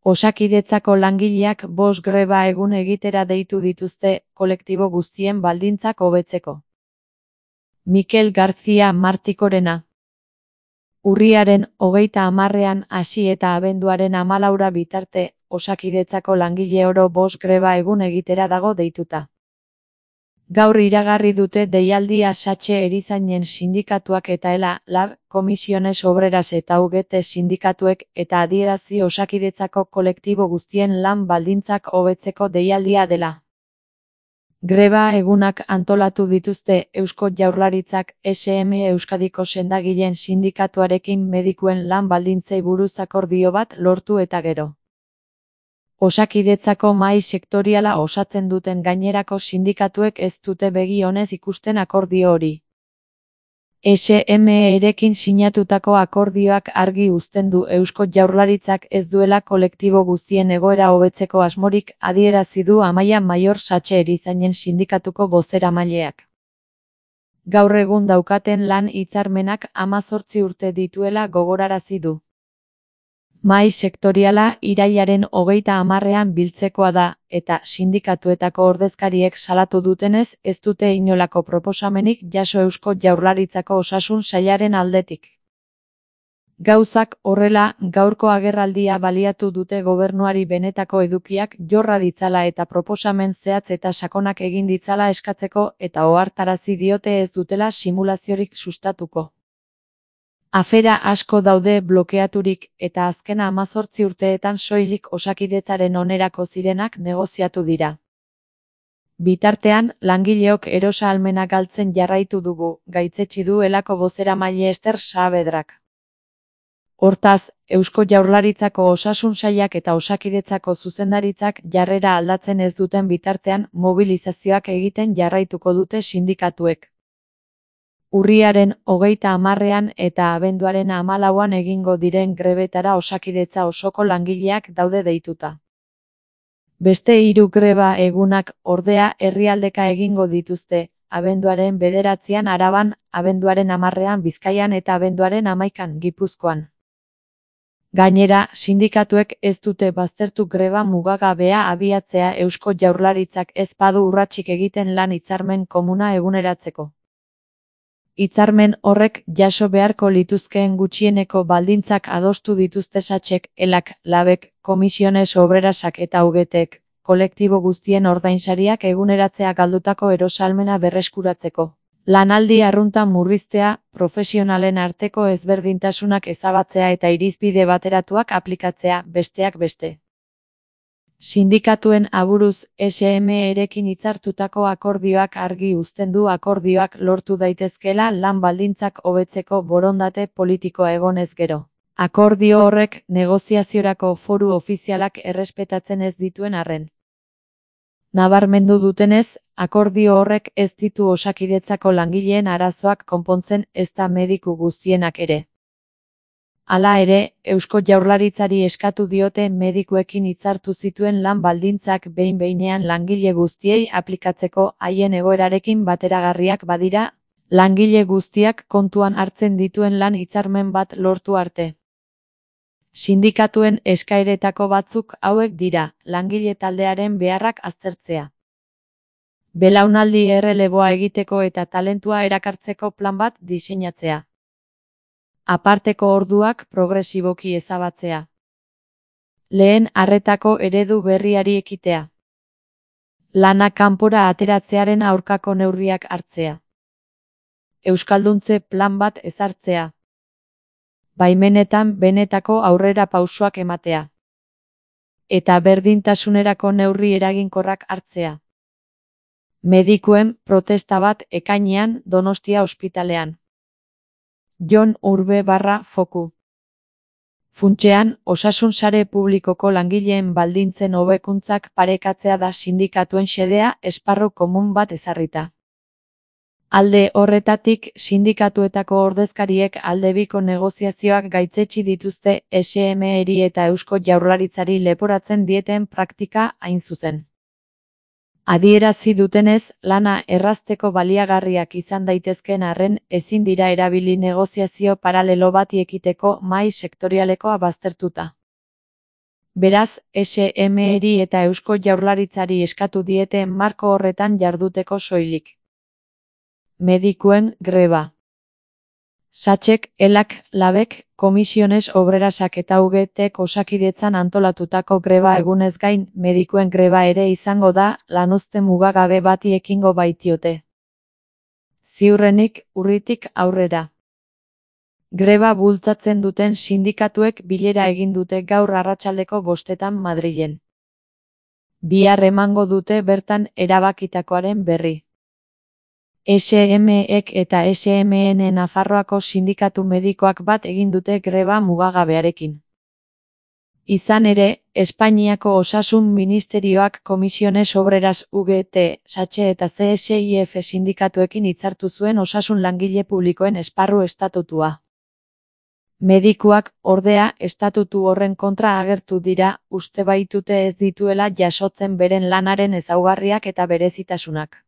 Osakidetzako langileak 5 greba egun egitera deitu dituzte kolektibo guztien baldintzak hobetzeko. Mikel García Martikorena. Urriaren 30ean hasi eta abenduaren 14 bitarte, Osakidetzako langile oro 5 greba egun egitera dago deituta. Gaur iragarri dute deialdia Satxe erizainen sindikatuak eta ELA, LAB, Comisiones Obreras eta UGT sindikatuek eta adierazi Osakidetzako kolektibo guztien lan baldintzak hobetzeko deialdia dela. Greba egunak antolatu dituzte Eusko Jaurlaritzak SM Euskadiko sendagileen sindikatuarekin medikuen lan baldintzei buruz akordio bat lortu eta gero. Osakidetzako mahai sektoriala osatzen duten gainerako sindikatuek ez dute begi onez ikusten akordio hori. SM-erekin sinatutako akordioak argi uzten du Eusko Jaurlaritzak ez duela kolektibo guztien egoera hobetzeko asmorik, adierazi du Amaia Maior Satxe erizainen sindikatuko bozeramaileak. Gaur egun daukaten lan hitzarmenak 18 urte dituela gogorarazi du. Mahai sektoriala irailaren 30ean biltzekoa da, eta sindikatuetako ordezkariek salatu dutenez ez dute inolako proposamenik jaso Eusko Jaurlaritzako osasun sailaren aldetik. Gauzak horrela, gaurko agerraldia baliatu dute gobernuari benetako edukiak jorra ditzala eta proposamen zehatz eta sakonak egin ditzala eskatzeko eta ohartarazi diote ez dutela simulaziorik sustatuko. Afera asko daude blokeaturik eta azken 18 urteetan soilik Osakidetzaren onerako zirenak negoziatu dira. Bitartean, langileok erosa-ahalmena galtzen jarraitu dugu, gaitzetsi du ELAko bozeramaile Ester Saavedrak. Hortaz, Eusko Jaurlaritzako osasun sailak eta Osakidetzako zuzendaritzak jarrera aldatzen ez duten bitartean mobilizazioak egiten jarraituko dute sindikatuek. Urriaren 30ean eta abenduaren 14ean egingo diren grebetara Osakidetza osoko langileak daude deituta. Beste 3 greba egunak, ordea, herrialdeka egingo dituzte, abenduaren 9ean Araban, abenduaren 10ean Bizkaian eta abenduaren 11ean Gipuzkoan. Gainera, sindikatuek ez dute baztertu greba mugagabea abiatzea Eusko Jaurlaritzak ez badu urratsik egiten lan hitzarmen komuna eguneratzeko. Hitzarmen horrek jaso beharko lituzkeen gutxieneko baldintzak adostu dituzte Satxek, ELAK, LABek, Comisiones Obrerasak eta UGTek, kolektibo guztien ordainsariak eguneratzea galdutako erosa-ahalmena berreskuratzeko. Lanaldi arrunta murriztea, profesionalen arteko ezberdintasunak ezabatzea eta irizpide bateratuak aplikatzea, besteak beste. Sindikatuen aburuz, SM-erekin hitzartutako akordioak argi uzten du akordioak lortu daitezkeela lan baldintzak hobetzeko borondate politikoa egonez gero. Akordio horrek negoziaziorako foru ofizialak errespetatzen ez dituen arren. Nabarmendu dutenez, akordio horrek ez ditu Osakidetzako langileen arazoak konpontzen ezta mediku guztienak ere. Hala ere, Eusko Jaurlaritzari eskatu diote medikuekin hitzartu zituen lan baldintzak behin-behinean langile guztiei aplikatzeko haien egoerarekin bateragarriak badira, langile guztiak kontuan hartzen dituen lan hitzarmen bat lortu arte. Sindikatuen eskaeretako batzuk hauek dira, langile taldearen beharrak aztertzea. Belaunaldi erreleboa egiteko eta talentua erakartzeko plan bat diseinatzea. Aparteko orduak progresiboki ezabatzea. Lehen arretako eredu berriari ekitea. Lana kanpora ateratzearen aurkako neurriak hartzea. Euskalduntze plan bat ezartzea. Baimenetan benetako aurrera pausoak ematea. Eta berdintasunerako neurri eraginkorrak hartzea. Medikuen protesta bat ekainean Donostia ospitalean. Jon Urbe /Foku. Funtsean, osasun sare publikoko langileen baldintzen hobekuntzak parekatzea da sindikatuen xedea esparru komun bat ezarrita. Alde horretatik, sindikatuetako ordezkariek aldebiko negoziazioak gaitzetsi dituzte SM-eri eta Eusko Jaurlaritzari leporatzen dieten praktika hain zuzen. Adierazi dutenez, lana errazteko baliagarriak izan daitezkeen arren, ezin dira erabili negoziazio paralelo bati ekiteko mahai sektorialekoa baztertuta. Beraz, SMEri eta Eusko Jaurlaritzari eskatu diete marko horretan jarduteko soilik. Medikuen greba. Satxek, elak, labek, komisiones obrerasak eta UGTek Osakidetzan antolatutako greba egunez gain, medikuen greba ere izango da, lanuzte mugagabe bati ekingo baitiote. Ziurrenik, urritik aurrera. Greba bultzatzen duten sindikatuek bilera egin dute gaur arratsaldeko 5:00 Madrilen. Bihar emango dute bertan erabakitakoaren berri. SMEk eta SMN Nafarroako sindikatu medikoak bat egin dute greba mugagabearekin. Izan ere, Espainiako Osasun Ministerioak Komisiones Obreras UGT, Satxe eta CSIF sindikatuekin hitzartu zuen osasun langile publikoen esparru estatutua. Medikuak, ordea, estatutu horren kontra agertu dira, uste baitute ez dituela jasotzen beren lanaren ezaugarriak eta berezitasunak.